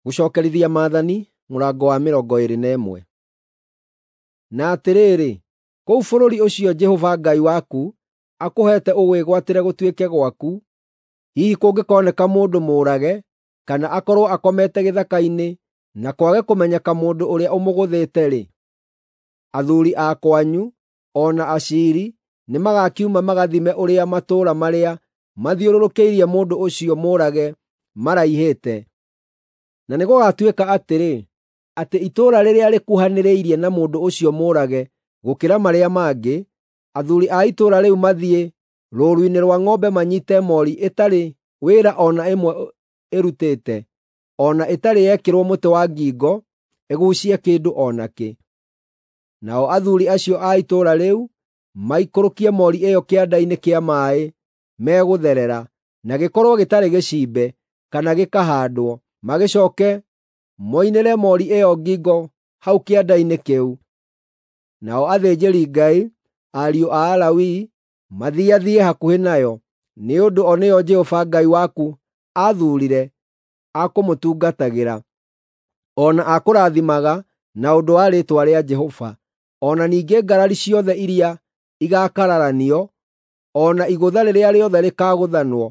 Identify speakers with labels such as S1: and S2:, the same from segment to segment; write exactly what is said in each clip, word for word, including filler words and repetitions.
S1: Gũcookerithia Maathani mũrango wa mĩrongo ĩĩrĩ na ĩmwe. Na atĩrĩrĩ, kũu bũrũri ũcio Jehova Ngai waku akũheete ũwĩgwatĩre gũtuĩke gwaku, hihi kũngĩkoneka mũndũ mũũrage kana akorwo akomete gĩthaka-inĩ na kwage kũmenyeka mũndũ ũrĩa ũmũgũthĩte-rĩ, athuuri a kwanyu, o na aciiri nĩmagakiuma magathime ũrĩa matũũra marĩa mathiũrũrũkĩirie mũndũ ũcio mũũrage maraihĩte. Na nĩgũgatuĩka atĩrĩ, atĩ itũũra rĩrĩa rĩkuhanĩrĩirie na mũndũ ũcio mũũrage gũkĩra marĩa mangĩ, athuuri a itũũra rĩu mathiĩ rũũru-inĩ rwa ng'ombe manyiite moori ĩtarĩ wĩra o na ĩmwe ĩrutĩte, o na ĩtarĩ yekĩrwo mũtĩ wa ngingo ĩguucie kĩndũ o nakĩ. Nao athuuri acio a itũũra rĩu maikũrũkie moori ĩyo kĩanda-inĩ kĩa maaĩ megũtherera, na gĩkorwo gĩtarĩ gĩcimbe kana gĩkahaandwo, magĩcooke moinĩre moori ĩyo ngingo hau kĩanda-inĩ kĩu. Nao athĩnjĩri-Ngai, ariũ a Alawii, mathiathiĩ hakuhĩ nayo, nĩ ũndũ o nĩo Jehova Ngai waku aathuurire a kũmũtungatagĩra, o na a kũrathimaga na ũndũ wa rĩĩtwa rĩa Jehova. O na ningĩ ngarari ciothe iria igaakararanio, o na igũtha rĩrĩa rĩothe rĩkaagũthanwo,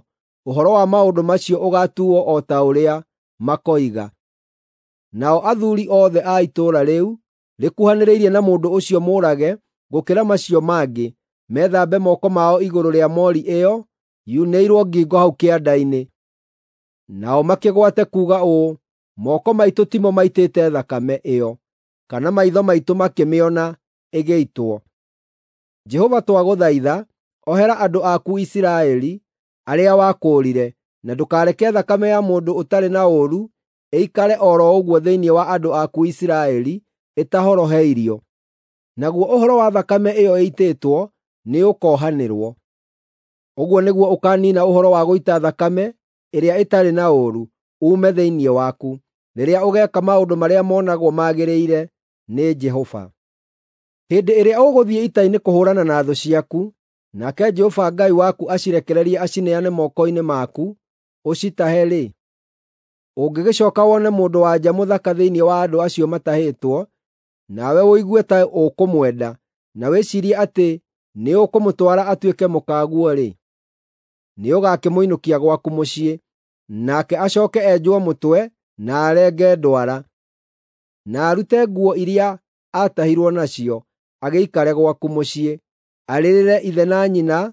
S1: ũhoro wa maũndũ macio ũgaatuuo o ta ũrĩa makoiga. Nao athuuri othe a itũũra rĩu rĩkuhanĩrĩirie na mũndũ ũcio mũũrage gũkĩra macio mangĩ, methambe moko mao igũrũ rĩa moori ĩyo yunĩirwo ngingo hau kĩanda-inĩ. Nao makĩgwate kuuga ũũ, “Moko maitũ timo maitĩte thakame ĩyo, kana maitho maitũ makĩmĩona ĩgĩitwo. Jehova twagũthaitha, ohera andũ aku Isiraeli, arĩa wakũũrire, na ndũkareke thakame ya mũndũ ũtarĩ na ũũru ĩikare o ro ũguo thĩinĩ wa andũ aku Isiraeli ĩtahoroheirio.” Naguo ũhoro wa thakame ĩyo ĩitĩtwo nĩũkohanĩrwo. Ũguo nĩguo ũkaaniina ũhoro wa gũita thakame ĩrĩa ĩtarĩ na ũũru uume thĩinĩ waku, rĩrĩa ũgeeka maũndũ marĩa monagwo magĩrĩire nĩ Jehova. Hĩndĩ ĩrĩa ũgũthiĩ ita-inĩ kũhũũrana na thũ ciaku, nake Jehova Ngai waku acirekererie acineane moko-inĩ maku ũcitahe-rĩ, ũngĩgĩcooka wone mũndũ-wa-nja mũthaka thĩinĩ wa andũ acio matahĩtwo, nawe ũigue ta ũkũmwenda, na wĩciirie atĩ nĩũkũmũtwara atuĩke mũkaguo-rĩ, nĩũgakĩmũinũkia gwaku mũciĩ, nake acooke enjwo mũtwe na arenge ndwara, na arute nguo iria aatahirwo nacio, agĩikare gwaku mũciĩ, arĩrĩre ithe na nyina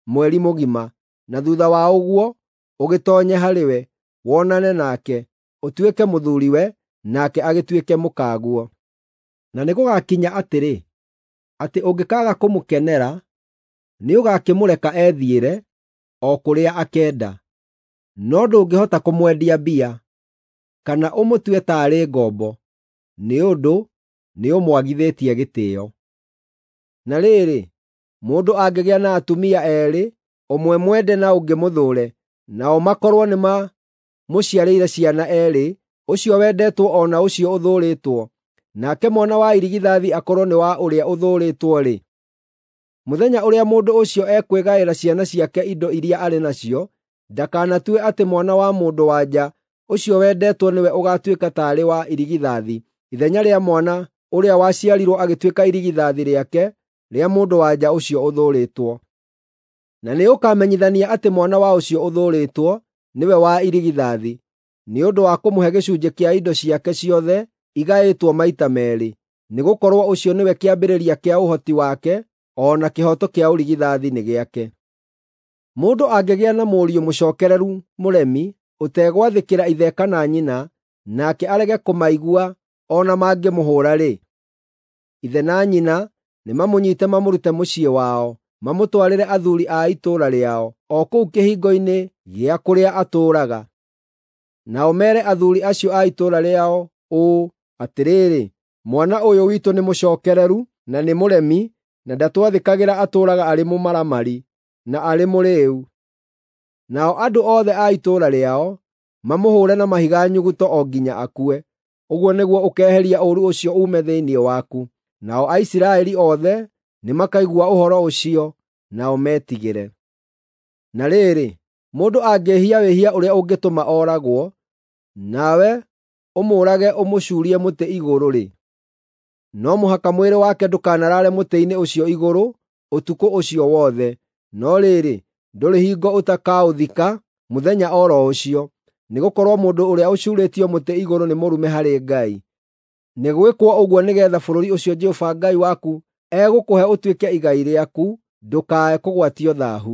S1: mweri mũgima, na thuutha wa ũguo ũgĩtoonye harĩ we, wonane nake, ũtuĩke mũthuuriwe, nake agĩtuĩke mũkaguo. Na nĩgũgakinya atĩrĩ, atĩ ũngĩkaaga kũmũkenera, nĩũgakĩmũreka ethiĩre o kũrĩa akenda. No ndũngĩhota kũmwendia mbia, kana ũmũtue taarĩ ngombo, nĩ ũndũ nĩũmwagithĩtie gĩtĩĩo. Na rĩrĩ, mũndũ angĩgĩa na atumia eerĩ, ũmwe mwende na ũngĩ mũthũũre, nao makorwo nĩmamũciarĩire ciana eerĩ, ũcio wendetwo o na ũcio ũthũũrĩtwo, nake mwana wa irigithathi akorwo nĩ wa ũrĩa ũthũũrĩtwo-rĩ, mũthenya ũrĩa mũndũ ũcio ekwĩgaĩra ciana ciake indo iria arĩ nacio, ndakanatue atĩ mwana wa mũndũ-wa-nja ũcio wendetwo nĩwe ũgaatuĩka taarĩ wa irigithathi ithenya rĩa mwana ũrĩa waciarirwo agĩtuĩka irigithathi rĩake rĩa mũndũ-wa-nja ũcio ũthũũrĩtwo. Na nĩũkamenyithania atĩ mwana wa ũcio ũthũũrĩtwo nĩwe wa irigithathi, nĩ ũndũ wa kũmũhe gĩcunjĩ kĩa indo ciake ciothe igaĩtwo maita meerĩ, nĩgũkorwo ũcio nĩwe kĩambĩrĩria kĩa ũhoti wake, o na kĩhooto kĩa ũrigithathi nĩ gĩake. Mũndũ angĩgĩa na mũriũ mũcookereru mũremi, ũtegwathĩkĩra ithe kana nyina, nake arege kũmaigua o na mangĩmũhũũra-rĩ, ithe na nyina nĩmamũnyiite mamũrute mũciĩ wao, mamũtwarĩre athuuri a itũũra rĩao, o kũu kĩhingo-inĩ gĩa kũrĩa atũũraga. Nao meere athuuri acio a itũũra rĩao ũũ, “Atĩrĩrĩ, mwana ũyũ witũ nĩ mũcookereru na nĩ mũremi, na ndatwathĩkagĩra atũũraga arĩ mũmaramari na arĩ mũrĩĩu.” Nao andũ othe a itũũra rĩao mamũhũũre na mahiga nyuguto o nginya akue. Ũguo nĩguo ũkeeheria ũũru ũcio uume thĩinĩ waku. Nao Aisiraeli othe nĩmakaigua ũhoro ũcio, nao metigĩre. Na rĩrĩ, mũndũ angĩĩhia wĩhia ũrĩa ũngĩtũma ooragwo, nawe ũmũũrage ũmũcuurie mũtĩ igũrũ-rĩ, no mũhaka mwĩrĩ wake ndũkanaraare mũtĩ-inĩ ũcio igũrũ ũtukũ ũcio wothe, no rĩrĩ, ndũrĩ hingo ũtakaũthika mũthenya o ro ũcio, nĩgũkorwo mũndũ ũrĩa ũcuurĩtio mũtĩ igũrũ nĩ mũrume harĩ Ngai. Nĩ gwĩkwo ũguo nĩgeetha bũrũri ũcio Jehova Ngai waku egũkũhe ũtuĩke igai rĩaku ndũkae kũgwatio thaahu.